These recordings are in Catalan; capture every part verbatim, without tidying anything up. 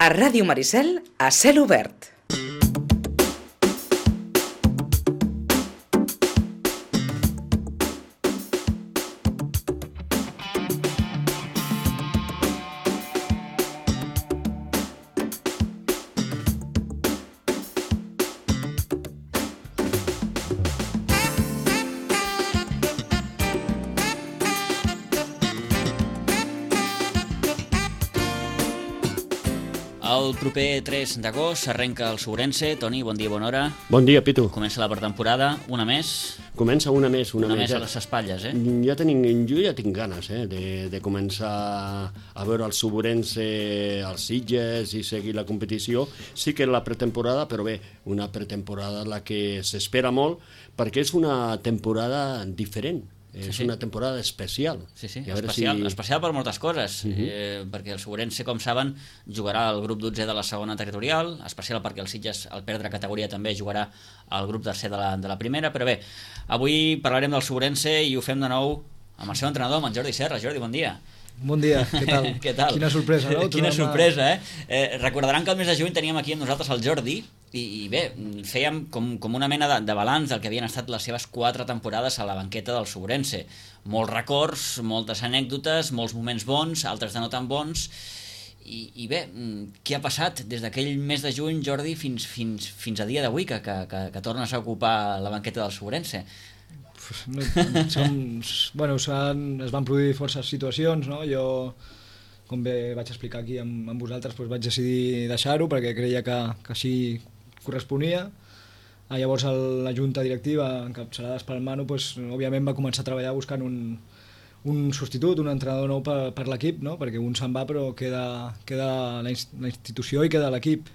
A Ràdio Maricel, a cel obert. El proper tres d'agost s'arrenca el Sobrense. Toni, bon dia, bona hora. Bon dia, Pitu. Comença la pretemporada, una més. Comença una més, una, una més. més a les espatlles, eh? Ja tenim, jo ja tinc ganes eh, de, de començar a veure el Sobrense, els Sitges i seguir la competició. Sí que és la pretemporada, però bé, una pretemporada la que s'espera molt perquè és una temporada diferent. És sí, sí. una temporada especial. Sí, sí, especial, si... especial per moltes coses, uh -huh. eh, perquè el Sobrense, com saben, jugarà al grup dotzè de la segona territorial, especial perquè el Sitges, al perdre categoria, també jugarà al grup tercer de la, de la primera, però bé, avui parlarem del Sobrense i ho fem de nou amb el seu entrenador, amb en Jordi Serra. Jordi, bon dia. Bon dia, què tal? Què tal? Quina sorpresa, no? Quina sorpresa, eh? eh? Recordaran que el mes de juny teníem aquí amb nosaltres el Jordi i, i bé, fèiem com, com una mena de, de balanç del que havien estat les seves quatre temporades a la banqueta del Sobrense. Molts records, moltes anècdotes, molts moments bons, altres de no tan bons. I, i bé, què ha passat des d'aquell mes de juny, Jordi, fins, fins, fins a dia d'avui, que, que, que, que tornes a ocupar la banqueta del Sobrense? No, som, bueno, es van produir forces situacions, no? Jo, com bé vaig explicar aquí amb, amb vosaltres, doncs vaig decidir deixar-ho perquè creia que, que així corresponia. Ah, llavors el, la junta directiva, encapçalada per Manu, doncs, òbviament va començar a treballar buscant un, un substitut, un entrenador nou per, per l'equip, no? Perquè un se'n va però queda, queda la, la institució i queda l'equip.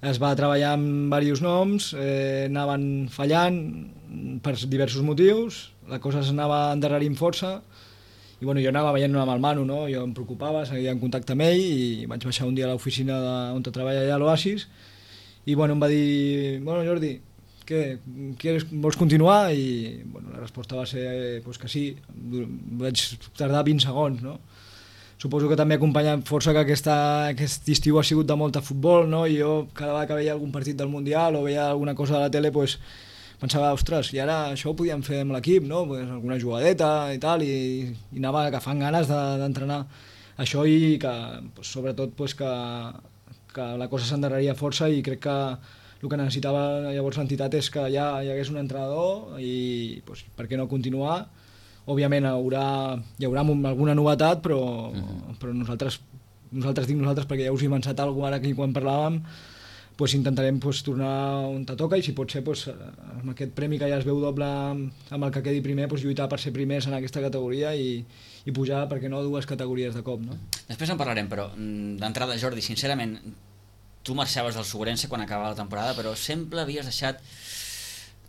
Es va treballar amb diversos noms, eh, anaven fallant per diversos motius, la cosa s'anava endarrerint força i bueno, jo anava veient amb el Manu, no? Jo em preocupava, seguia en contacte amb ell i vaig baixar un dia a l'oficina on treballa allà a l'Oasis i bueno, em va dir, bueno Jordi, què, quieres, vols continuar? I bueno, la resposta va ser pues, que sí, vaig tardar vint segons, no? Suposo que també ha acompanyat força que aquesta, aquest estiu ha sigut de molt de futbol, no? I jo cada vegada que veia algun partit del Mundial o veia alguna cosa de la tele, pues, pensava, ostres, i ara això ho podíem fer amb l'equip, no? Pues, alguna jugadeta i tal, i, i anava agafant ganes d'entrenar de, això i que, pues, sobretot pues, que, que la cosa s'endarreria força i crec que el que necessitava llavors l'entitat és que ja hi hagués un entrenador i pues, per què no continuar. Òbviament haurà, hi haurà alguna novetat, però, uh-huh. però nosaltres, nosaltres dic nosaltres perquè ja us he avançat alguna cosa ara aquí quan parlàvem, pues intentarem pues, tornar on te toca i si pot ser pues, amb aquest premi que ja es veu doble amb el que quedi primer, pues, lluitar per ser primers en aquesta categoria i, i pujar, perquè no, dues categories de cop. No? Després en parlarem, però d'entrada, Jordi, sincerament, tu marxaves del Sobrense quan acabava la temporada, però sempre havies deixat,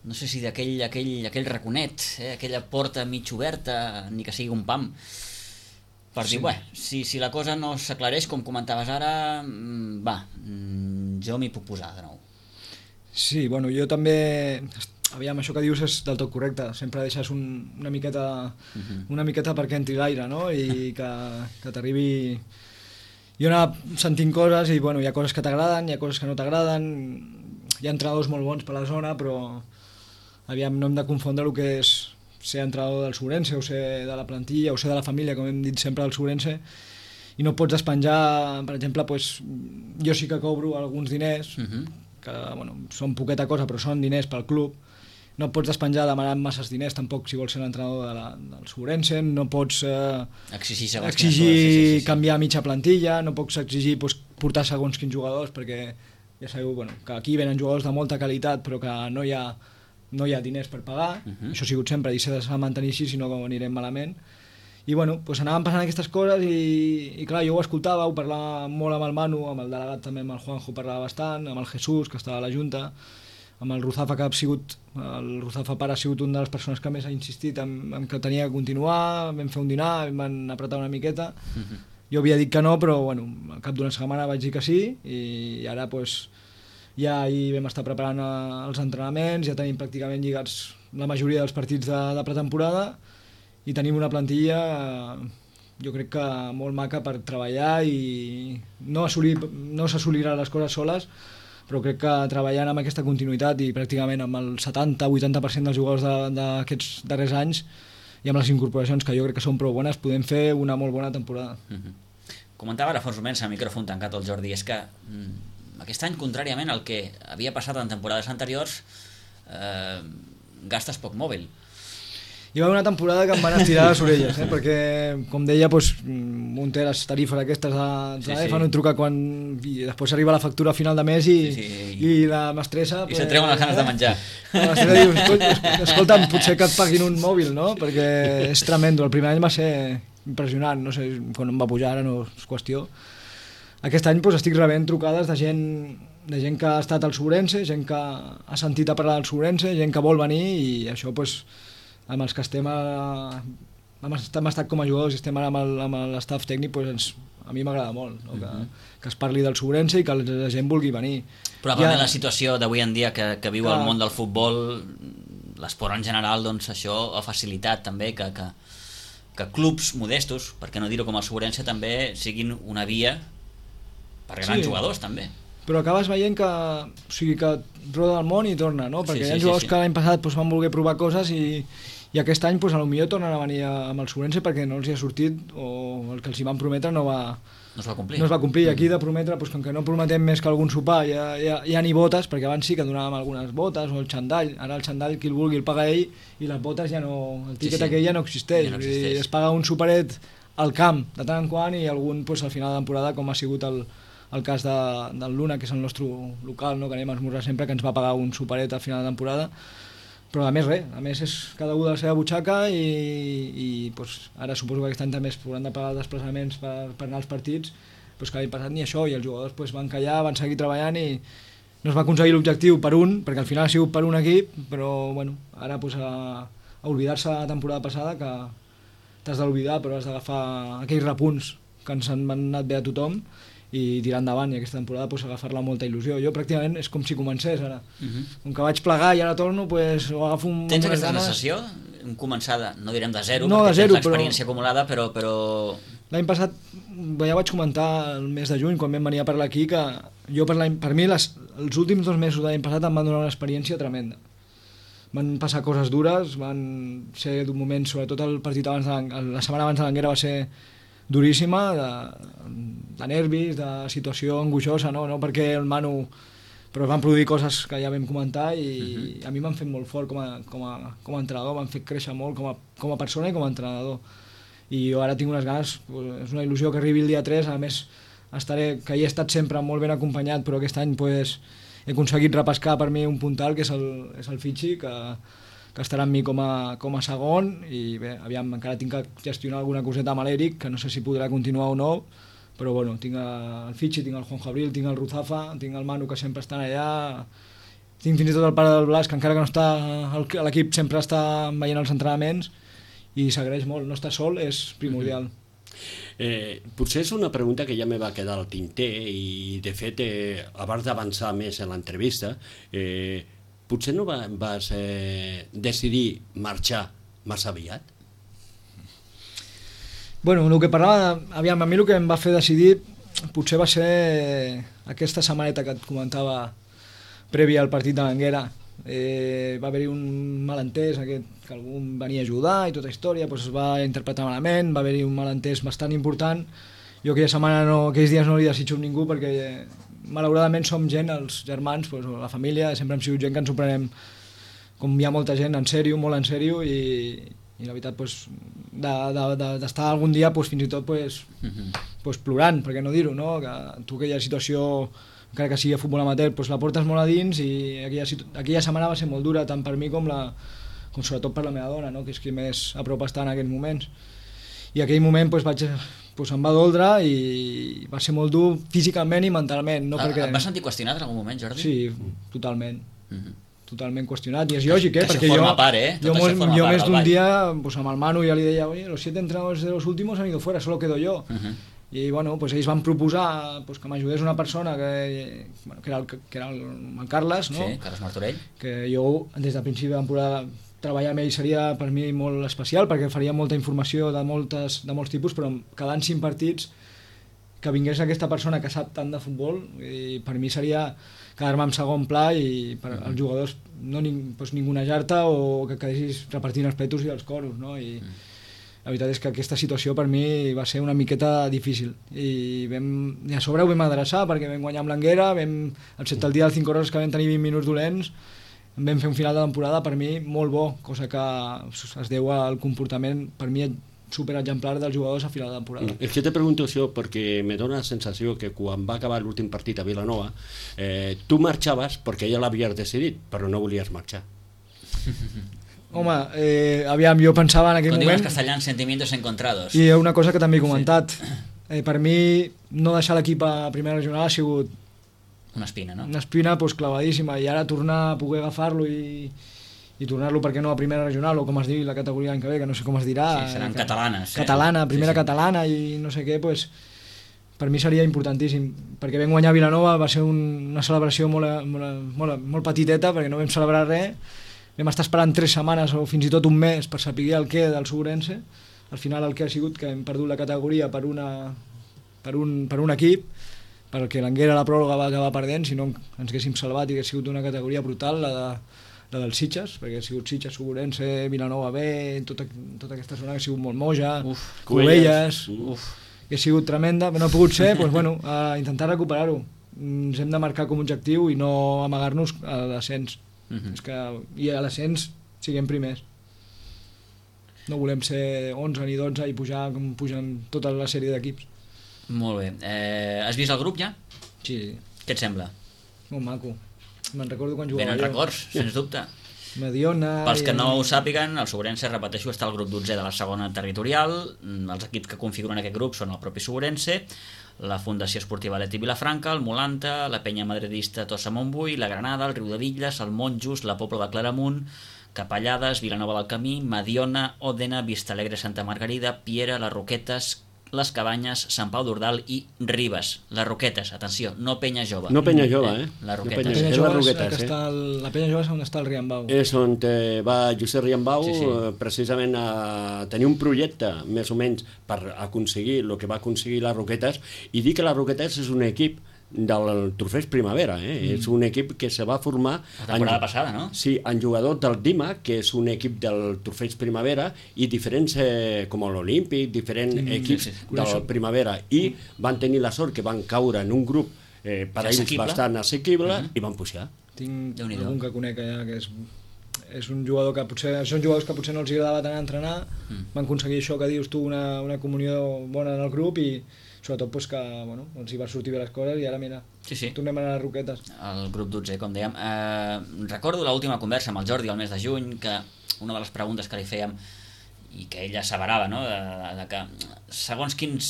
no sé si d'aquell aquell, aquell raconet, eh? Aquella porta mig oberta, ni que sigui un pam, per dir, sí. Bé, si, si la cosa no s'aclareix, com comentaves ara, va, jo m'hi puc posar de nou. Sí, bueno, jo també, aviam, això que dius és del tot correcte, sempre deixes un, una miqueta uh-huh. una miqueta perquè entri l'aire, no? I que, que t'arribi... Jo anava sentint coses i, bueno, hi ha coses que t'agraden, hi ha coses que no t'agraden, hi ha entrenadors molt bons per la zona, però aviam, no hem de confondre el que és ser entrenador del Sobrense o ser de la plantilla o ser de la família, com hem dit sempre del Sobrense, i no pots despenjar, per exemple, pues, jo sí que cobro alguns diners, uh-huh. que bueno, són poqueta cosa però són diners pel club, no pots despenjar demanant masses diners tampoc si vols ser l'entrenador de la, del Sobrense, no pots eh, exigir, exigir sí, sí, sí. canviar mitja plantilla, no pots exigir pues, portar segons quins jugadors, perquè ja sabeu bueno, que aquí venen jugadors de molta qualitat però que no hi ha, no hi ha diners per pagar, uh-huh. això ha sigut sempre i s'ha de mantenir així, si no anirem malament. I bueno, pues anaven passant aquestes coses i, i clar, jo ho escoltava, ho parlava molt amb el Manu, amb el delegat també, amb el Juanjo parlava bastant, amb el Jesús, que estava a la Junta, amb el Ruzafa, que ha sigut, el Ruzafa pare ha sigut una de les persones que més ha insistit en, en que tenia que continuar, vam fer un dinar, em van apretar una miqueta, uh-huh. jo havia dit que no, però bueno, al cap d'una setmana vaig dir que sí, i ara pues, ja ahir vam estar preparant els entrenaments, ja tenim pràcticament lligats la majoria dels partits de, de pretemporada, i tenim una plantilla jo crec que molt maca per treballar i no, assolir, no s'assolirà les coses soles, però crec que treballant amb aquesta continuïtat i pràcticament amb el setanta vuitanta per cent dels jugadors d'aquests darrers anys i amb les incorporacions que jo crec que són prou bones podem fer una molt bona temporada. Mm-hmm. Comentava ara fa uns moments al micròfon tancat el Jordi, és que mm, aquest any, contràriament al que havia passat en temporades anteriors, eh, gastes poc mòbil. Hi va haver una temporada que em van estirar les orelles, eh? Perquè, com deia, doncs, un té les tarifes aquestes de, de sí, sí. fan un truc quan i després arriba la factura a final de mes i, sí, sí. i la mestressa... I pues, se'n treuen les ganes de menjar. La mestressa diu, escolta, escolta'm, potser que et paguin un mòbil, no? Perquè és tremendo. El primer any va ser impressionant, no sé, quan em va pujar, ara no és qüestió. Aquest any doncs, estic rebent trucades de gent, de gent que ha estat al Sobrense, gent que ha sentit a parlar del Sobrense, gent que vol venir i això, doncs, amb els que estem, a, hem estat com a jugadors i estem ara amb l'estaf tècnic, doncs ens, a mi m'agrada molt, no? que, que es parli del Sobrense i que la gent vulgui venir. Probablement ja, la situació d'avui en dia que, que viu que, el món del futbol, l'esport en general, doncs això ha facilitat també que... que que clubs modestos, per què no dir-ho com el Sobrense, també siguin una via per grans sí, jugadors també. Però acabes veient que, o sigui, que roda el món i torna, no? Perquè sí, sí, hi ha jugadors sí, sí. que l'any passat doncs, van voler provar coses i, i aquest any doncs, potser tornen a venir amb el Sobrense perquè no els hi ha sortit o el que els hi van prometre no va, no es va complir. No es va complir. I aquí de prometre, doncs, com que no prometem més que algun sopar, ja, ja, ja ni botes, perquè abans sí que donàvem algunes botes o el xandall, ara el xandall qui el vulgui el paga ell i les botes ja no, el tiquet sí, sí. aquell ja no existeix, ja no existeix. Es paga un superet al camp de tant en quant i algun doncs, al final de temporada, com ha sigut el, el cas de, del Luna, que és el nostre local, no? Que anem a esmorzar sempre, que ens va pagar un superet al final de temporada. Però a més res, a més és cada un de la seva butxaca i, i doncs, ara suposo que aquest any també es podran de pagar desplaçaments per, per anar als partits, doncs que l'any passat ni això, i els jugadors doncs, van callar, van seguir treballant i no es va aconseguir l'objectiu per un, perquè al final ha sigut per un equip, però bueno, ara doncs, a, a oblidar-se la temporada passada, que t'has d'oblidar però has d'agafar aquells repunts que ens han anat bé a tothom i tirar endavant, i aquesta temporada pues, agafar-la amb molta il·lusió. Jo pràcticament és com si comencés ara. Uh-huh. Com que vaig plegar i ara torno, pues, ho agafo un... Tens aquesta ganes... sensació? Un començar, de, no direm de zero, no, perquè de zero, tens l'experiència però... acumulada, però... però... L'any passat, ja vaig comentar el mes de juny, quan vam venir a parlar aquí, que jo per, per mi les, els últims dos mesos de l'any passat em van donar una experiència tremenda. Van passar coses dures, van ser d'un moment, sobretot el partit abans de la setmana abans de l'Anguera va ser duríssima, de, de nervis, de situació angoixosa, no? No perquè el Manu... Però van produir coses que ja vam comentar i uh-huh. a mi m'han fet molt fort com a, com a, com a entrenador, m'han fet créixer molt com a, com a persona i com a entrenador. I jo ara tinc unes ganes, és una il·lusió que arribi el dia tres, a més estaré, que hi he estat sempre molt ben acompanyat, però aquest any pues, he aconseguit repescar per mi un puntal, que és el, és el Fitxi, que, que estarà amb mi com a, com a segon, i bé, aviam, encara tinc que gestionar alguna coseta amb l'Eric, que no sé si podrà continuar o no, però bueno, tinc el Fitxi, tinc el Juan Jabril, tinc el Ruzafa, tinc el Manu, que sempre estan allà, tinc fins i tot el pare del Blas, que encara que no està a l'equip sempre està veient els entrenaments i s'agraeix molt, no estar sol és primordial. Eh, potser és una pregunta que ja me va quedar al tinter i de fet, eh, abans d'avançar més en l'entrevista, eh, potser no va, vas eh, decidir marxar massa aviat? Bueno, el que parlava, aviam, a mi el que em va fer decidir potser va ser aquesta setmaneta que et comentava prèvia al partit de l'Anguera. Eh, va haver-hi un malentès, aquest, que algú em venia a ajudar i tota història, doncs es va interpretar malament, va haver-hi un malentès bastant important. Jo aquella setmana, no, aquells dies no li desitjo a ningú perquè eh, malauradament som gent, els germans, doncs, la família, sempre hem sigut gent que ens ho prenem, com hi ha molta gent, en sèrio, molt en sèrio, i, i la veritat, doncs, d'estar de, de, de algun dia doncs, fins i tot doncs, uh-huh. doncs, plorant, per què no dir-ho, no? Que tu aquella situació, encara que sigui a futbol amateur, doncs, la portes molt a dins i aquella, aquella setmana va ser molt dura, tant per mi com, la, com sobretot per la meva dona, no? Que és qui més a prop està en aquells moments. I aquell moment doncs, vaig, doncs, em va doldre i va ser molt dur físicament i mentalment. No? Ah, perquè... Et vas sentir qüestionat en algun moment, Jordi? Sí, totalment. Uh-huh. Totalment qüestionat, i és lògic, eh? Que perquè forma jo, part, eh? jo, mos, jo més d'un dia pues, amb el Manu ja li deia, oye, los siete entrenadores de los últimos han ido fuera, solo quedo yo. Uh-huh. I bueno, pues ells van proposar pues, que m'ajudés una persona que, bueno, que era, el, que era el, el Carles, no? Sí, Carles Martorell. Que jo des del principi de temporada treballar amb ell seria per mi molt especial, perquè faria molta informació de, moltes, de molts tipus, però quedant cinc partits que vingués aquesta persona que sap tant de futbol, i per mi seria quedar-me en segon pla i per als jugadors no ning, doncs, ningunejar-te o que quedessis repartint els petos i els coros, no? I la veritat és que aquesta situació per mi va ser una miqueta difícil i, vam, i a sobre ho vam adreçar perquè vam guanyar amb l'Anguera, vam, excepte el dia dels cinc hores que vam tenir vint minuts dolents, vam fer un final de temporada per mi molt bo, cosa que es deu al comportament per mi superexemplar dels jugadors a final de temporada. És que te pregunto això perquè me dona la sensació que quan va acabar l'últim partit a Vilanova eh, tu marxaves perquè ja l'havies decidit, però no volies marxar. Home, eh, aviam, jo pensava en aquell Com moment... diuen els castellans, sentimientos encontrados. I una cosa que també he comentat, sí. eh, per mi no deixar l'equip a primera regional ha sigut una espina, no? Una espina pues, clavadíssima, i ara tornar a poder agafar-lo i, i tornar-lo, per què no, a primera regional, o com es diu la categoria l'any que ve, que no sé com es dirà. Sí, seran que, catalanes. Catalana, primera sí, sí. catalana i no sé què, pues, per mi seria importantíssim, perquè vam guanyar Vilanova, va ser un, una celebració molt, molt, molt, molt petiteta, perquè no vam celebrar res, vam estar esperant tres setmanes o fins i tot un mes per saber el què del Sobrense. Al final el que ha sigut que hem perdut la categoria per, una, per, un, per un equip, perquè l'Anguera la pròrroga va acabar perdent, si no ens haguéssim salvat i hagués sigut una categoria brutal, la, de, la dels Sitges, perquè ha sigut Sitges, Sobrense, Vilanova B, tota, tota aquesta zona que ha sigut molt Moja, Uf, Cubelles, Uf. que ha sigut tremenda, però no ha pogut ser, doncs, bueno, a intentar recuperar-ho. Ens hem de marcar com a objectiu i no amagar-nos a l'ascens. Uh-huh. És que, i a l'ascens siguem primers, no volem ser onze ni dotze i pujar com pugen tota la sèrie d'equips. Molt bé, eh, has vist el grup ja? Sí. Què et sembla? Molt maco, me'n recordo quan jugava. Venen records, sens dubte. Mediona... Pels que i... no ho sàpiguen, el Sobrense, repeteixo, està al grup dotzè de la segona territorial. Els equips que configuren aquest grup són el propi Sobrense, la Fundació Esportiva Leti Vilafranca, el Molanta, la Penya Madridista Tossa Montbui, la Granada, el Riudebitlles, el Monjos, la Pobla de Claramunt, Capellades, Vilanova del Camí, Mediona, Òdena, Vistalegre, Santa Margarida, Piera, les Roquetes, les Cabanyes, Sant Pau d'Ordal i Ribes. Les Roquetes, atenció, no Penya Jove. No Penya Jove, eh? Les No Roquetes. Penya, Penya és Jove les Roquetes, és eh? està el, la Penya Jove és on està el Riambau. És on eh, va Josep Riambau, Sí, sí. eh, precisament a tenir un projecte, més o menys, per aconseguir el que va aconseguir les Roquetes, i dir que les Roquetes és un equip del Trofeig Primavera, eh? Mm. És un equip que se va formar... La temporada en, passada, no? Sí, en jugadors del Dima, que és un equip del Trofeig Primavera, i diferents, eh, com l'Olímpic, diferents mm, equips sí, sí. del Primavera, i van tenir la sort que van caure en un grup eh, per a ells Assequible. bastant assequible, Mm-hmm. i van pujar. Tinc Déu-n'hi-do. algun que conec allà que és, és un jugador que potser són jugadors que potser no els agradava tant entrenar, mm. van aconseguir això que dius tu, una, una comunió bona en el grup i sobretot pues, que bueno, els hi va sortir bé les coses i ara mira, Sí, sí. tornem a les Roquetes. El grup dotzè, com dèiem. Eh, recordo l'última conversa amb el Jordi el mes de juny, que una de les preguntes que li fèiem i que ella asseverava, no? de, de que segons quins,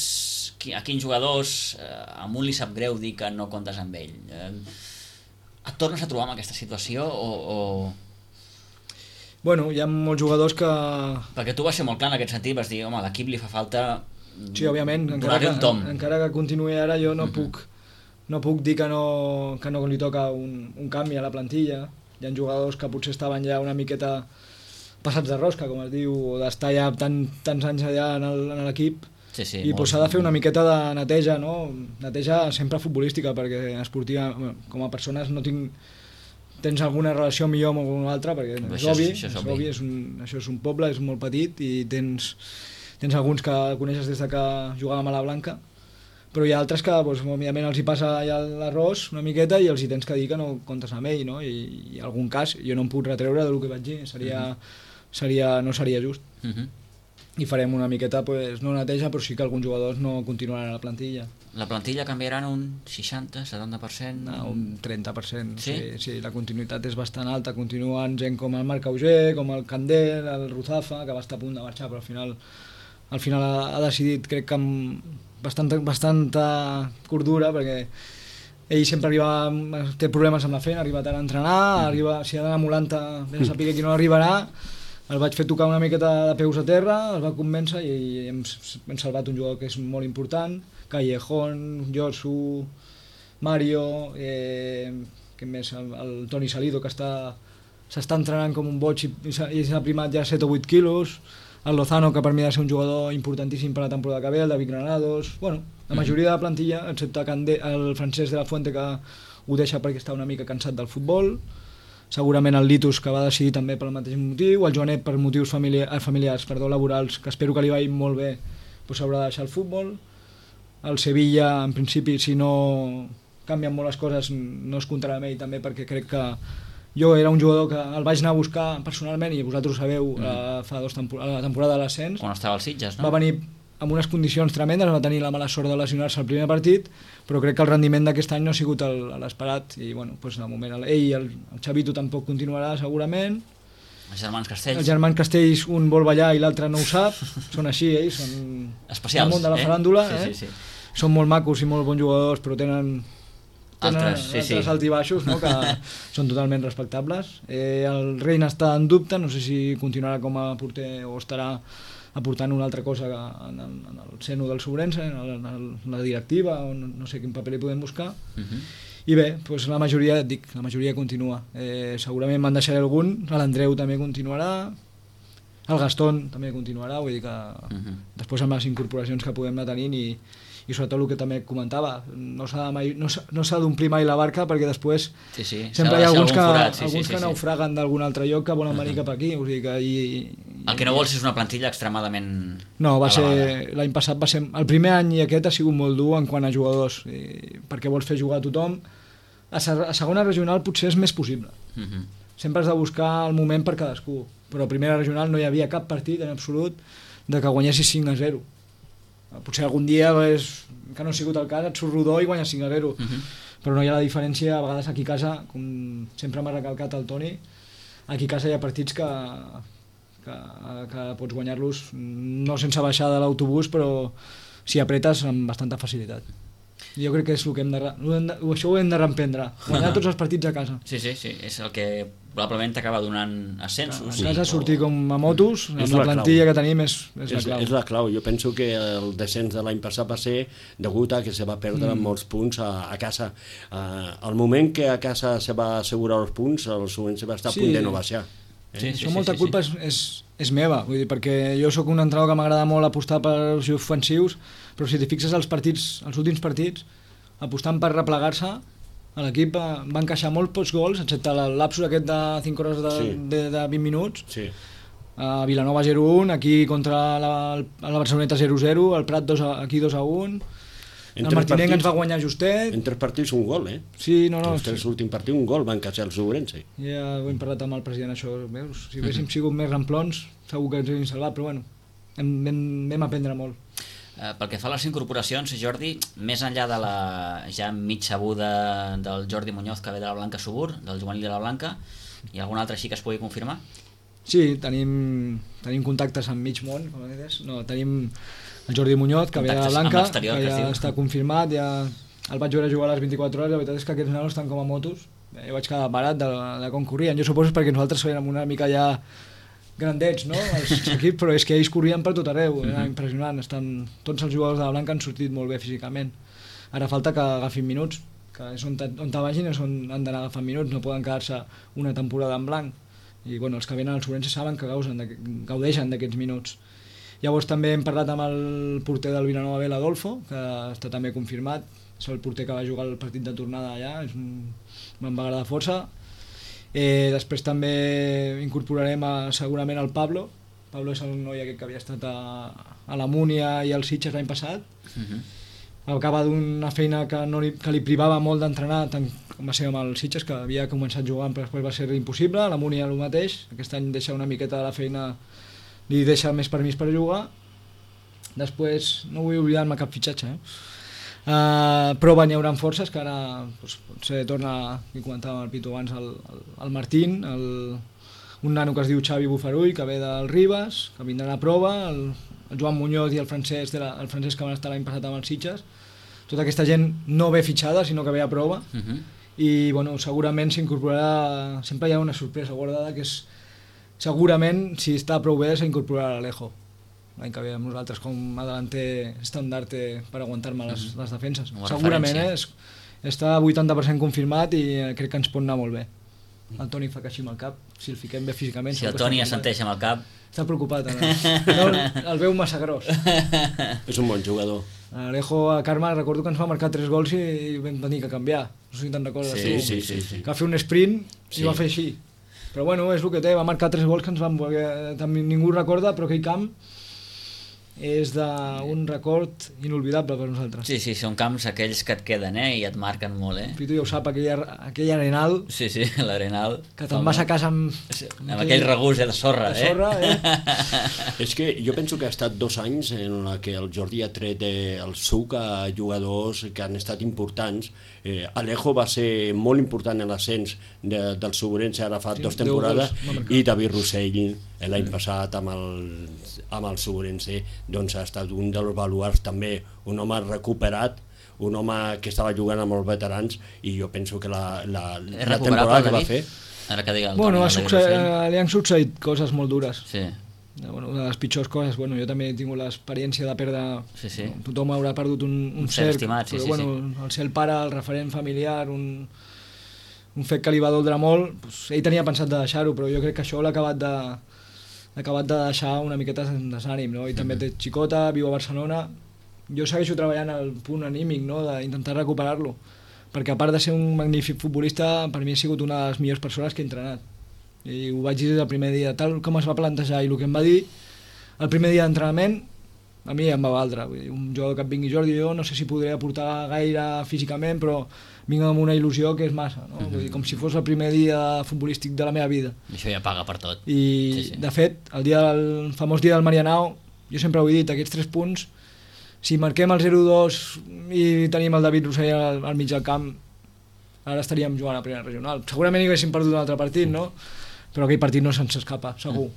a quins jugadors eh, a un li sap greu dir que no comptes amb ell. Eh, et tornes a trobar en aquesta situació o, o... Bueno, hi ha molts jugadors que... Perquè tu vas ser molt clar en aquest sentit, vas dir, home, a l'equip li fa falta Sí, òbviament, encara donar-li que, un tom. encara que continuï ara jo no, Mhm. puc, no puc dir que no, que no li toca un, un canvi a la plantilla. Hi ha jugadors que potser estaven ja una miqueta passats de rosca, com es diu, o d'estar ja tant, tants anys allà en el- en l'equip, Sí, sí, i molt. pues, s'ha de fer una miqueta de neteja, no? Neteja sempre futbolística, perquè esportiva, bueno, com a persones no tinc tens alguna relació millor amb algun altre, perquè Però és això és- obvi, això és és obvi. obvi és un, això és un poble, és molt petit i tens, tens alguns que coneixes des de que jugàvem a la Blanca, però hi ha altres que doncs, òbviament els hi passa ja l'arròs una miqueta i els hi tens que dir que no comptes amb ell, no? I, i en algun cas jo no em puc retreure del que vaig dir, seria, seria, no seria just. Uh-huh. I farem una miqueta, pues, no neteja, però sí que alguns jugadors no continuaran a la plantilla. La plantilla canviarà en un seixanta, setanta per cent? No, un trenta per cent. Sí? Sí, sí, la continuïtat és bastant alta. Continuen gent com el Marc Auger, com el Candel, el Ruzafa, que va estar a punt de marxar, però al final, al final ha, ha decidit, crec que amb bastanta, bastanta cordura, perquè ell sempre arriba, té problemes amb la feina, arriba tard a entrenar, mm. arriba, si ha d'anar a Molanta, ben a saber qui no arribarà. El vaig fer tocar una miqueta de peus a terra, el va convèncer i hem, hem salvat un jugador que és molt important, Callejón, Josu, Mario, eh, que més, el, el Toni Salido, que està, s'està entrenant com un boig i, i s'ha primat ja set o vuit quilos, el Lozano, que per mi ha de ser un jugador importantíssim per la temporada que ve, el David Granados, bueno, la majoria de la plantilla, excepte Candé, el Francesc de la Fuente, que ho deixa perquè està una mica cansat del futbol, segurament el Litus, que va decidir també pel mateix motiu, el Joanet per motius familiar, familiars, perdó, laborals, que espero que li vagi molt bé, doncs s'haurà de deixar el futbol. El Sevilla, en principi, si no canvien molt les coses, no es comptarà amb ell també, perquè crec que jo era un jugador que el vaig anar a buscar personalment, i vosaltres ho sabeu, mm. eh, fa dos tempor la temporada de l'ascens. Quan estava als Sitges, no? Va venir amb unes condicions tremendes, va tenir la mala sort de lesionar-se al primer partit, però crec que el rendiment d'aquest any no ha sigut l'esperat, i bueno, doncs de moment ell i el, el Xavito tampoc continuarà segurament. Els germans Castells. Els germans Castells, un vol ballar i l'altre no ho sap, són així, ells, són especials, el món de la eh? faràndula, sí, eh? sí, sí. Són molt macos i molt bons jugadors, però tenen tenen altres, sí, altres sí. altibaixos, no? Que són totalment respectables. Eh, el Reina està en dubte, no sé si continuarà com a porter o estarà aportant una altra cosa en el, en el seno del Sobrense, en, el, en la directiva, o no, no sé quin paper li podem buscar. Uh-huh. I bé, doncs la majoria, et dic, la majoria continua. Eh, segurament me'n deixaré algun, l'Andreu també continuarà, el Gastón també continuarà, vull dir que uh-huh. després amb les incorporacions que podem anar tenint i i sobretot el que també comentava, no s'ha no no d'omplir mai la barca, perquè després sí, sí. sempre hi ha alguns que, forat, sí, alguns sí, que sí, naufraguen d'algun altre lloc que volen venir uh -huh. cap aquí, o sigui que i, i, el que no vols és una plantilla extremadament no, va ser, l'any passat va ser el primer any, i aquest ha sigut molt dur en quant a jugadors, i, perquè vols fer jugar a tothom. A, a segona regional potser és més possible, uh -huh. sempre has de buscar el moment per cadascú, però a primera regional no hi havia cap partit en absolut de que guanyessis cinc a zero. Potser algun dia, és, que no ha sigut el cas, et surt rodó i guanyes cinc a zero, uh-huh. però no hi ha la diferència. A vegades aquí a casa, com sempre m'ha recalcat el Toni, aquí a casa hi ha partits que, que, que pots guanyar-los no sense baixar de l'autobús, però si apretes amb bastanta facilitat. Jo crec que és el que hem de, hem de això ho hem de reemprendre, guanyar tots els partits a casa. Sí, sí, sí, és el que probablement t'acaba donant ascensos. A casa sortir com a motos, amb la, la plantilla que tenim és, és, és la clau. És la clau. Jo penso que el descens de l'any passat va ser degut a que se va perdre mm. molts punts a, a casa. Uh, al moment que a casa se va assegurar els punts, el Sobrense va estar a punt sí. de no baixar. Eh? Sí, sí, Això sí, molta sí, culpa sí. És, és, és meva, vull dir, perquè jo sóc un entrenador que m'agrada molt apostar pels ofensius, però si t'hi fixes els partits, els últims partits, apostant per replegar-se, l'equip va encaixar molt pocs gols, excepte el lapsus aquest de cinc hores de, sí. de, de vint minuts. Sí. A Vilanova zero a un, aquí contra la, la Barceloneta zero a zero, el Prat dos a, aquí dos a un, el Martinenc ens va guanyar justet. En tres partits un gol, eh? Sí, no, no. Els tres sí. últims partits un gol van encaixar el Sobrense. Ja ho hem parlat amb el president, això. Veus? Si haguéssim sigut més ramplons, segur que ens haguéssim salvat, però bueno, hem, hem, vam aprendre molt. Uh, pel que fa a les incorporacions, Jordi, més enllà de la ja mig sabuda del Jordi Muñoz, que ve de la Blanca Subur, del juvenil de la Blanca, hi ha algun altre així que es pugui confirmar? Sí, tenim, tenim contactes amb mig món, com deies. No, tenim el Jordi Muñoz, que contactes ve de la Blanca, que ja està confirmat, ja el vaig veure jugar a les vint-i-quatre hores, la veritat és que aquests nanos estan com a motos, jo vaig quedar barat de, de com corrien, jo suposo perquè nosaltres érem una mica ja grandets, no?, els equips, però és que ells corrien per tot arreu, era impressionant. Estan, tots els jugadors de la Blanca han sortit molt bé físicament. Ara falta que agafin minuts, que és on te, on te vagin és on han d'anar agafant minuts, no poden quedar-se una temporada en blanc. I bueno, els que venen al Sobrense saben que gaudeixen d'aquests minuts. Llavors també hem parlat amb el porter del Vilanova B, l'Adolfo, que està també confirmat, és el porter que va jugar el partit de tornada allà, és un, me'n va agradar força. Eh, després també incorporarem a, segurament el Pablo. Pablo és el noi aquest que havia estat a, a la Múnia i al Sitges l'any passat. Uh-huh. Acaba d'una feina que, no li, que li privava molt d'entrenar, tant com va ser amb el Sitges, que havia començat jugant però després va ser impossible. A la Múnia el mateix, aquest any deixa una miqueta de la feina, li deixa més permís per jugar. Després no vull oblidar-me cap fitxatge, eh? Uh, però n'hi haurà forces que ara doncs, potser torna, que comentàvem el Pitu abans, el, el, el Martín, el, un nano que es diu Xavi Bufarull, que ve del Ribes, que vindran a prova, el, el Joan Muñoz i el Francesc, de la, el Francesc que van estar l'any passat amb els Sitges. Tota aquesta gent no ve fitxada, sinó que ve a prova. Uh-huh. I bueno, segurament s'incorporarà, sempre hi ha una sorpresa guardada, que és segurament, si està prou bé, s'incorporarà l'Alejo. L'any que ve amb nosaltres com a delanter estandarte per aguantar-me les, les defenses. Segurament, eh? Està vuitanta per cent confirmat i crec que ens pot anar molt bé. el Toni fa que així amb el cap, si el fiquem bé físicament... Si el Toni assenteix amb el cap... Està preocupat, ara. No, el veu massa gros. És un bon jugador. Alejo a Carme recordo que ens va marcar tres gols i vam tenir que canviar. No sé si te'n recordes. Sí, sí, sí, sí. Que va fer un sprint i Sí. va fer així. Però bueno, és el que té, va marcar tres gols que ens van... També ningú recorda, però aquell camp és d'un record inolvidable per nosaltres. Sí, sí, són camps aquells que et queden, eh? I et marquen molt, eh? Pitu ja ho sap, aquell, aquell arenal Sí, sí, l'Arenal. que te'n vas a casa amb... Amb aquell regús eh, de sorra, de sorra, eh? eh? És que jo penso que ha estat dos anys en la que el Jordi ha tret eh, el suc a jugadors que han estat importants. Eh, Alejo va ser molt important en l'ascens de, del Segurense ara fa Sí, dues deu temporades gols, va marcar. i David Rossell eh, l'any passat amb el, amb el Segurense doncs ha estat un dels baluards també, un home recuperat, un home que estava jugant amb els veterans i jo penso que la, la, És la recuperable, temporada que va David? fer Ara que digui el Bueno, Toni, ha el David succeït, Rossell. li han succeït coses molt dures. Sí, Bueno, una de les pitjors coses, bueno, jo també he tingut l'experiència de perdre... Sí, sí. Tothom haurà perdut un, un, Un ser cerc, estimat, sí, però sí, bueno, el ser el pare, el referent familiar, un, un fet que li va doldre molt, doncs, ell tenia pensat de deixar-ho, però jo crec que això l'ha acabat de l'ha acabat de deixar una miqueta en desànim, no? I també té xicota, viu a Barcelona. Jo segueixo treballant al punt anímic, no?, d'intentar recuperar-lo, perquè a part de ser un magnífic futbolista, per mi ha sigut una de les millors persones que he entrenat. I ho vaig dir des del primer dia, tal com es va plantejar i el que em va dir el primer dia d'entrenament, a mi em va valdre. Vull dir, un jugador que et vingui Jordi, jo no sé si podré aportar gaire físicament, però vinc amb una il·lusió que és massa, no? Vull dir, com si fos el primer dia futbolístic de la meva vida. això ja paga per tot. I, Sí, sí. de fet, el, dia del, el famós dia del Marianao, jo sempre ho he dit, aquests tres punts, si marquem el zero dos i tenim el David Rossell al, al mig del camp, ara estaríem jugant a primera regional. Segurament hi haguéssim perdut un altre partit, no? Però aquell partit no se'ns escapa, segur.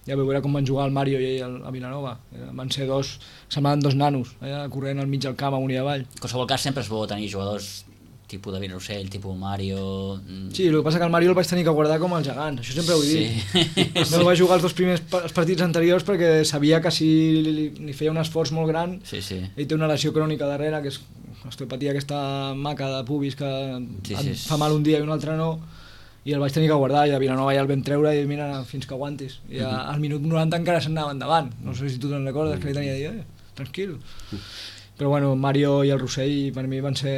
Ja veu veure com van jugar el Mario i ell a Vilanova. Van ser dos, semblaven dos nanos, allà corrent al mig del camp amunt i avall. En qualsevol cas sempre és bo tenir jugadors tipus David Rossell, tipus Mario... mm, Sí, el que passa que el Mario el vaig tenir que guardar com els gegants, això sempre ho he dit. Sí. No va jugar els dos primers pa- els partits anteriors perquè sabia que si li, li feia un esforç molt gran, Sí, sí. ell té una lesió crònica darrere, que és l'osteopatia aquesta maca de pubis que Sí, et sí. fa mal un dia i un altre no, i el vaig tenir que guardar, i a Vilanova ja el vam treure i mira, fins que aguantis. I a, al minut noranta encara s'anava endavant. No sé si tu te'n recordes, que li tenia de dir, eh, tranquil. Però bueno, Mario i el Rossell per mi van ser...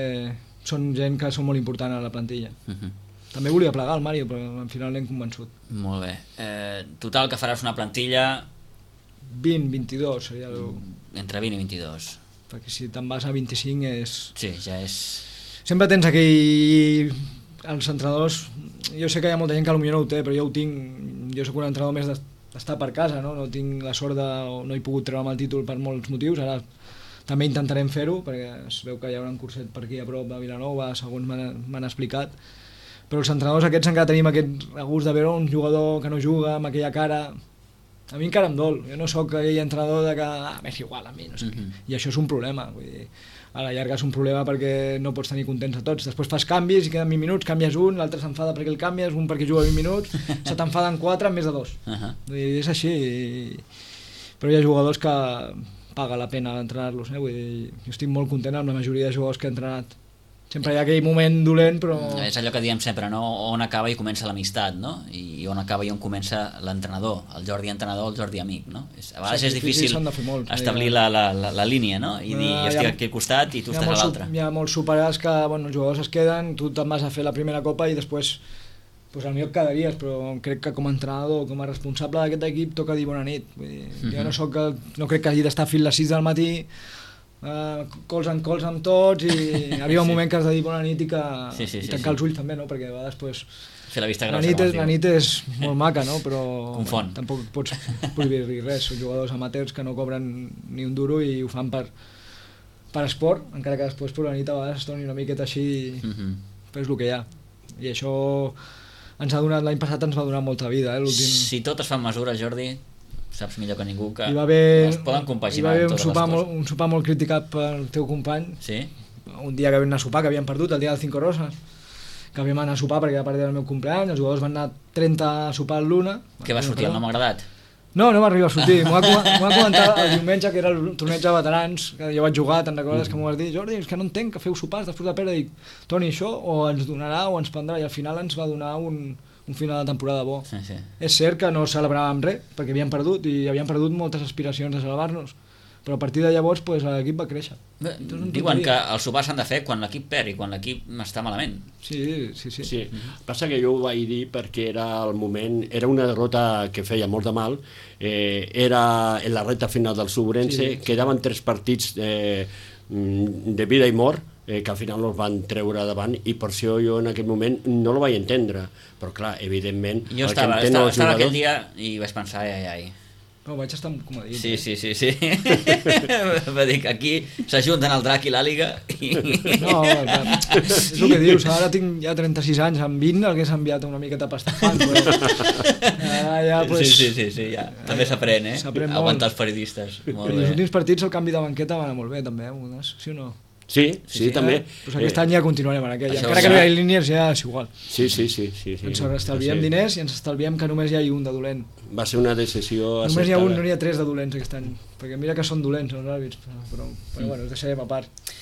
són gent que són molt important a la plantilla. Mhm. També volia plegar el Mario, però al final l'hem convençut. Molt bé. Eh, total, que faràs una plantilla vint, vint-i-dos seria el... entre vint i vint-i-dos. Perquè si te'n vas a vint-i-cinc és... Sí, ja és... Sempre tens aquell... Els entrenadors... Jo sé que hi ha molta gent que potser no ho té, però jo ho tinc... Jo sóc un entrenador més d'estar per casa, no? No tinc la sort de... No he pogut treure'm el títol per molts motius. Ara també intentarem fer-ho, perquè es veu que hi haurà un curset per aquí a prop a Vilanova, segons m'han m'han explicat. Però els entrenadors aquests encara tenim aquest regust de veure un jugador que no juga, amb aquella cara... A mi encara em dol. Jo no sóc aquell entrenador de que... Ah, m'és igual a mi, no sé què. Mhm. I això és un problema. Vull dir, a la llarga és un problema perquè no pots tenir contents a tots. Després fas canvis i queden vint minuts, canvies un, l'altre s'enfada perquè el canvies, un perquè juga vint minuts, se t'enfaden quatre en més de dos. Uh -huh. Vull dir, és així. I... Però hi ha jugadors que paga la pena entrenar-los. Eh? Vull dir, jo estic molt content amb la majoria de jugadors que he entrenat. Sempre hi ha aquell moment dolent, però... És allò que diem sempre, no? On acaba i comença l'amistat, no? I on acaba i on comença l'entrenador, el Jordi entrenador, el Jordi amic, no? És, a vegades és difícil s'han de fer molts, establir eh? la, la, la, la línia, no? I dir, Ah, jo estic hi ha- aquí al costat i tu hi ha estàs a molts l'altre. sup- Hi ha molts superats que bueno, els jugadors es queden, tu te'n vas a fer la primera copa i després pues, potser et quedaries, però crec que com a entrenador, com a responsable d'aquest equip toca dir bona nit. Vull dir, Mhm. Jo no, soc, el- no crec que hagi d'estar fins les sis del matí Uh, cols en cols amb tots i arriba un Sí. moment que has de dir bona nit i, que, Sí, sí, i sí, tancar sí. els ulls també, no? Perquè a vegades pues, Fer la vista la, grossa, nit com és, es diu. la nit és molt maca, no? Però Confon. bueno, tampoc pots prohibir-li res. Són jugadors amateurs que no cobren ni un duro i ho fan per, per esport, encara que després per la nit a vegades es torni una miqueta així, Mhm. però és el que hi ha. I això ens ha donat, l'any passat ens va donar molta vida, eh? L'últim... Si tot es fa amb mesura, Jordi, saps millor que ningú que Hi va haver, es poden hi va compaginar haver un, totes sopar les molt, coses. un sopar molt criticat pel teu company, Sí? un dia que vam anar a sopar, que havíem perdut, el dia del Cinco Roses, que havíem anar a sopar perquè era part del meu compleany, els jugadors van anar trenta a sopar l'una. Què va sortir? El no m'ha agradat? No, no va arribar a sortir. M'ho va, m'ho va comentar el diumenge, que era el torneig de veterans, que jo vaig jugar, te'n recordes mm. que m'ho vas dir? Jordi, és que no entenc que feu sopars després de perdre. Dic, Toni, això o ens donarà o ens prendrà, i al final ens va donar un, un final de temporada bo. Sí, sí. És cert que no celebràvem res, perquè havíem perdut, i havíem perdut moltes aspiracions de salvar-nos. Però a partir de llavors pues, l'equip va créixer. Bé, diuen que els sopars s'han de fer quan l'equip perd i quan l'equip està malament. Sí, sí, sí. sí. Mm-hmm. Passa que jo ho vaig dir perquè era el moment, era una derrota que feia molt de mal, eh, era en la recta final del Subrense, sí, sí. Quedaven tres partits eh, de vida i mort, eh, que al final els van treure davant, i per això jo en aquell moment no lo vaig entendre, però clar, evidentment... Jo estava, estava, estava aquell dia i vaig pensar, ai, ai, ai. No, vaig estar com a dit. Sí, sí, sí, sí. Va dir que aquí s'ajunten el drac i l'àliga i... No, és el que dius, ara tinc ja trenta-sis anys, amb vint hagués enviat una miqueta pastafant, però... Ara ja, pues... Sí, sí, sí, sí, ja. També s'aprèn, eh? S'aprèn molt. Aguantar els periodistes. Molt I els bé. últims partits el canvi de banqueta va anar molt bé, també, eh? Sí o no? Sí, sí, sí, sí, també. Eh? Pues aquest eh, any ja continuarem en aquell. Encara ja... que no hi ha línies, ja és igual. Sí, sí, sí. sí, sí. Ens estalviem sí. diners i ens estalviem que només hi ha un de dolent. Va ser una decisió només acceptada. Només hi ha un, no n'hi ha tres de dolents aquest any. Perquè mira que són dolents els àrbits, però, però, però mm. bueno, els deixarem a part.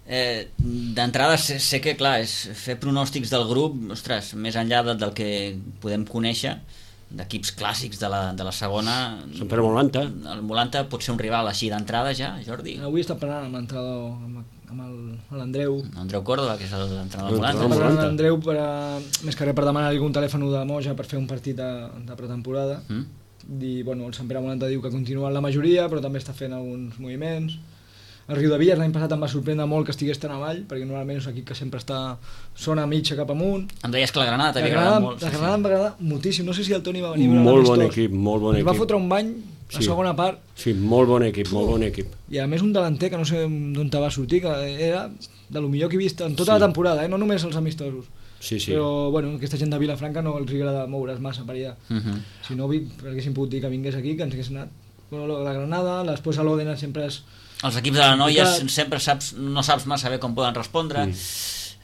Eh, D'entrada sé, sé que, clar, és fer pronòstics del grup, ostres, més enllà de, del que podem conèixer, d'equips clàssics de la, de la segona... Sempre Molanta. El Molanta pot ser un rival així d'entrada ja, Jordi? Avui està parlant amb l'entrenador, amb, amb l'Andreu. Andreu Córdoba, que és l'entrenador del Molanta. Està parlant amb l'Andreu per a, més que res per demanar algun telèfon de Moja per fer un partit de, de pretemporada. Mm. I, bueno, el Sant Pere Molanta diu que continua en la majoria, però també està fent alguns moviments. El Riu de Villas l'any passat em va sorprendre molt que estigués tan avall, perquè normalment és un equip que sempre està zona mitja cap amunt. Em deies que la Granada t'havia agradat molt. La Granada sí, em va agradar moltíssim, no sé si el Toni va venir a molt bon equip, molt bon equip. Va fotre un bany a sí. segona part. Sí, molt bon equip, molt bon equip. I a més un delanter que no sé d'on te va sortir, que era de lo millor que he vist en tota sí. la temporada, eh? No només els amistosos. Sí, sí. Però bueno, aquesta gent de Vilafranca no els agrada moure's massa per allà. Uh -huh. Si no, haguéssim pogut dir que vingués aquí, que ens hagués anat. Bueno, la Granada, després a l'Òdena sempre és... Els equips de la noia sempre saps, no saps massa bé com poden respondre. Mm.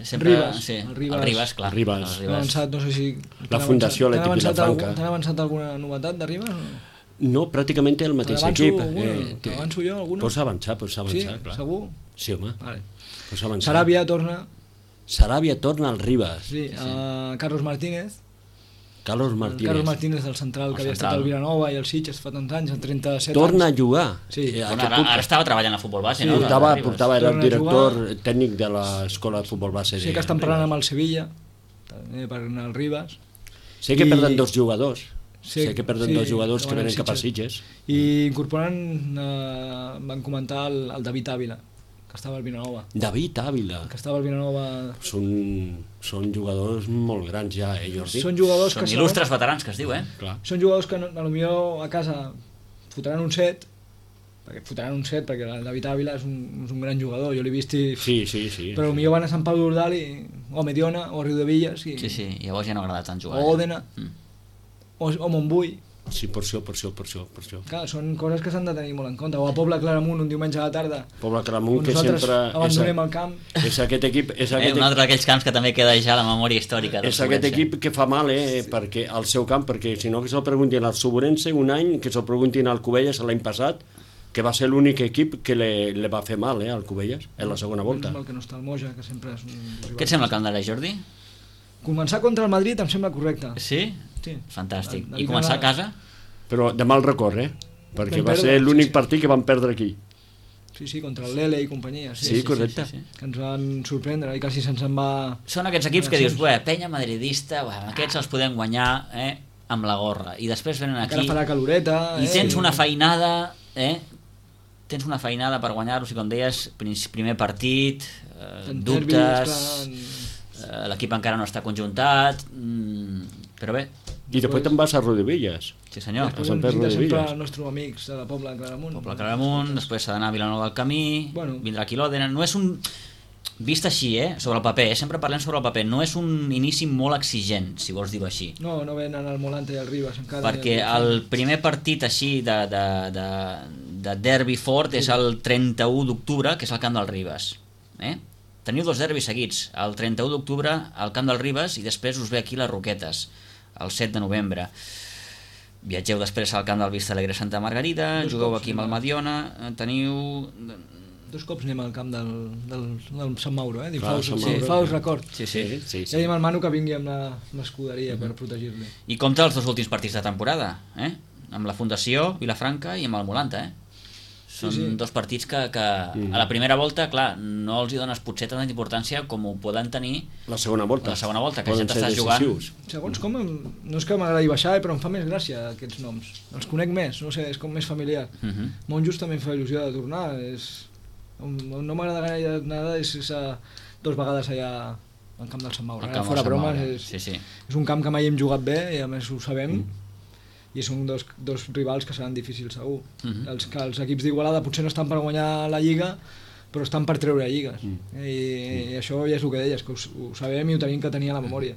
Sempre, Ribas, sí, el Ribas, el Ribas, clar. Ribas. El Ribas. Avançat, no sé si... La Fundació Atlètic Vilafranca. T'han avançat alguna novetat de Ribas? No, no pràcticament el mateix equip. Eh, T'avanço jo alguna? Pots avançar, pots avançar, sí, clar. Segur? Sí, home. Vale. Pots avançar. Saràbia torna... Saràbia torna al Ribas. Sí, sí. Uh, Carlos Martínez. Carlos Martínez. Carlos Martínez del central, el que havia central. estat al Vilanova i el Sitges fa tants anys, en trenta-set Torna anys. a jugar. Sí. Eh, bueno, ara, ara estava treballant a futbol base, sí, no? Portava, portava, era el director tècnic de l'escola de futbol base. Sí, que estan parlant amb el Sevilla, també per anar al Ribas. Sé que I... perden dos jugadors. Sí, sé que perden sí, dos jugadors que venen Sitges. cap a Sitges. I incorporen, eh, van comentar el, el David Ávila, que estava al Vilanova. David Ávila. Que estava al Vilanova... Són, són jugadors molt grans ja, eh, Jordi? Són jugadors són que... Són il·lustres veterans, que es diu, eh? Clar. Són jugadors que potser a casa fotran un set, perquè fotran un set, perquè el David Ávila és un, és un gran jugador, jo l'he vist i... Sí, sí, sí. Però sí. potser van a Sant Pau d'Ordal i... o Mediona, o Riu de Villas i... Sí, sí, llavors ja no agrada tant jugar. O Òdena, mm. o, o Montbui. Sí, per això, per això, per això, per això. Clar, són coses que s'han de tenir molt en compte. O a Pobla Claramunt, un diumenge a la tarda. Pobla Claramunt, que nosaltres sempre... abandonem és, el camp. És aquest equip... És aquest eh, un altre d'aquells camps que també queda ja a la memòria històrica. És aquest equip que fa mal, eh, sí. perquè al seu camp, perquè si no que se'l preguntin al Suburense un any, que se'l preguntin al Cubelles l'any passat, que va ser l'únic equip que le, le va fer mal, eh, al Cubelles, en la segona volta. El que no està al Moja, que sempre és un... Què et sembla el calendari, Jordi? Començar contra el Madrid em sembla correcte. Sí? Sí. Fantàstic. I començar a casa? Però de mal record, eh? Perquè va ser l'únic sí, sí. partit que van perdre aquí. Sí, sí, contra el Lele i companyia. Sí, sí, sí correcte. Sí, sí, sí. Que ens van sorprendre i quasi se'ns en va... Són aquests equips que dius, buah, penya madridista, buah, aquests els podem guanyar eh, amb la gorra. I després venen aquí... Encara farà caloreta... I eh? tens una feinada, eh? Tens una feinada per guanyar-los i com deies, primer partit, eh, dubtes, eh, l'equip encara no està conjuntat, mm, però bé. I després te'n vas a Rodillas. Sí senyor. Després ens visita sempre els nostres amics de la Pobla Claramunt. Pobla Claramunt, després s'ha d'anar a Vilanova del Camí, bueno. vindrà aquí l'Òdena. No és un... Vist així, eh, sobre el paper, eh? Sempre parlem sobre el paper, no és un inici molt exigent, si vols dir-ho així. No, no venen al Molanta i al Ribas encara. Perquè el, el primer partit així de, de, de, de derbi fort sí. és el trenta-u d'octubre, que és el camp del Ribas. Eh? Teniu dos derbis seguits, el trenta-u d'octubre al camp del Ribas i després us ve aquí les Roquetes, el set de novembre. Viatgeu després al camp del Vista Alegre Santa Margarida, Dos jugueu cops aquí amb el anem a- Mediona, eh, teniu... Dos cops anem al camp del, del, del Sant Mauro, eh? Clar, D'infaus, Sant sí, Mauro. Faus record. Sí, sí. Sí, sí, Ja sí. diem al Manu que vingui amb la- amb l'escuderia per protegir-li. I compta els dos últims partits de temporada, eh? Amb la Fundació Vilafranca i amb el Molanta, eh? Són Sí, sí. dos partits que, que a la primera volta, clar, no els hi dones potser tanta importància com ho poden tenir La segona volta. la segona volta, que Poden ja ser t'estàs jugant. decisius. Segons com, em- no és que m'agradi baixar, eh, però em fa més gràcia aquests noms. Els conec més, no sé, és com més familiar. Mhm. Montjos també em fa il·lusió de tornar. És... On, on no m'agrada gaire nada és, és a, dos vegades allà al camp del Sant Mauro. El Ara, camp fora del Sant bromes, Mauro, és, sí, sí. és un camp que mai hem jugat bé i a més ho sabem. I són dos, dos rivals que seran difícils segur. Mhm. els, que els equips d'Igualada potser no estan per guanyar la Lliga, però estan per treure lligues. I, I això ja és el que deies, que ho, ho sabem i ho tenim que tenir a la memòria.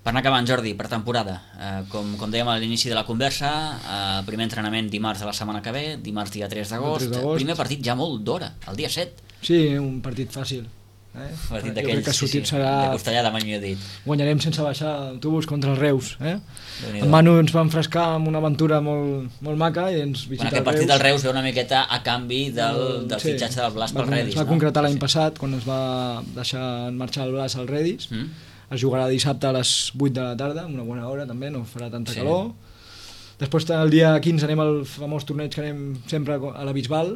Per anar acabant, Jordi, per temporada, eh, com, com dèiem a l'inici de la conversa, eh, primer entrenament dimarts de la setmana que ve, dimarts dia tres d'agost, tres d'agost. primer partit ja molt d'hora, el dia set. Sí, un partit fàcil. Eh? Partit Jo d'aquells, crec que sí, sí, sortit serà... de costellada, mai millor dit. Guanyarem sense baixar autobús contra els Reus. Eh? Déu-n'hi-do. El Manu ens va enfrescar amb una aventura molt, molt maca i ens Bueno, visita aquest partit del Reus ve una miqueta a canvi del, del Sí. fitxatge del Blas Va pel con- Redis. Es va no? concretar l'any Sí. passat, quan es va deixar en marxar el Blas al Redis. Mm? Es jugarà dissabte a les vuit de la tarda, una bona hora també, no farà tanta Sí. calor. Després el dia quinze anem al famós torneig que anem sempre a la Bisbal,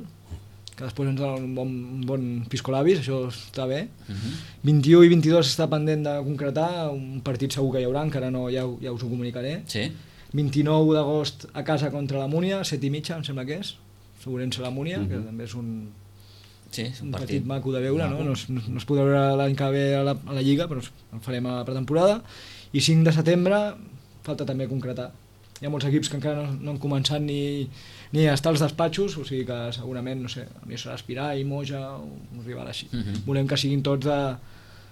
que després ens dona un bon, un bon piscolabis, això està bé. Mhm. vint-i-u i vint-i-dos està pendent de concretar, un partit segur que hi haurà, encara no, ja, ho- ja us ho comunicaré. Sí? vint-i-nou d'agost a casa contra la Múnia, set i mitja, em sembla que és, Segurença la Múnia, que també és un, Sí, és un un partit, partit. maco de veure, no? maco. No, es, no, es- no es podrà veure l'any que ve a la, a la Lliga, però es- el farem a la pretemporada. I cinc de setembre falta també concretar. Hi ha molts equips que encara no, no han començat ni, ni a estar als despatxos, o sigui que segurament, no sé, a mi serà Aspirar i Moja, o un rival així. Mhm. Volem que siguin tots de...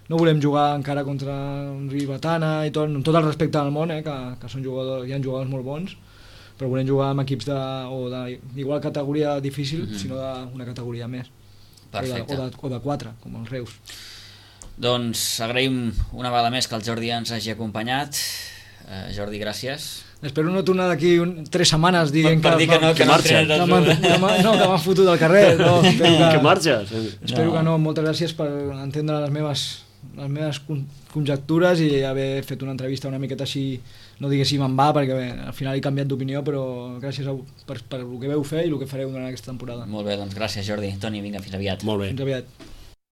No volem jugar encara contra un Ribetana i tot, amb tot el respecte del món, eh, que, que són jugadors, hi ha jugadors molt bons, però volem jugar amb equips de, o de, d'igual categoria difícil, Mhm. sinó d'una categoria més. Perfecte. O de, o, de, o de quatre, com els Reus. Doncs agraïm una vegada més que el Jordi ens hagi acompanyat. Eh, Jordi, gràcies. Espero no tornar d'aquí un, tres setmanes dient Per dir que no, que no marxa. entrenes que a m'han tu. que m'han- no, que m'han fotut del carrer. No, espero que, Que marxes? espero No. que no. Moltes gràcies per entendre les meves, les meves con- conjectures i haver fet una entrevista una miqueta així, no diguéssim en va, perquè bé, al final he canviat d'opinió, però gràcies a, per, per el que veu fer i el que fareu durant aquesta temporada. Molt bé, doncs gràcies, Jordi. Toni, vinga, fins aviat. Molt bé. Fins aviat.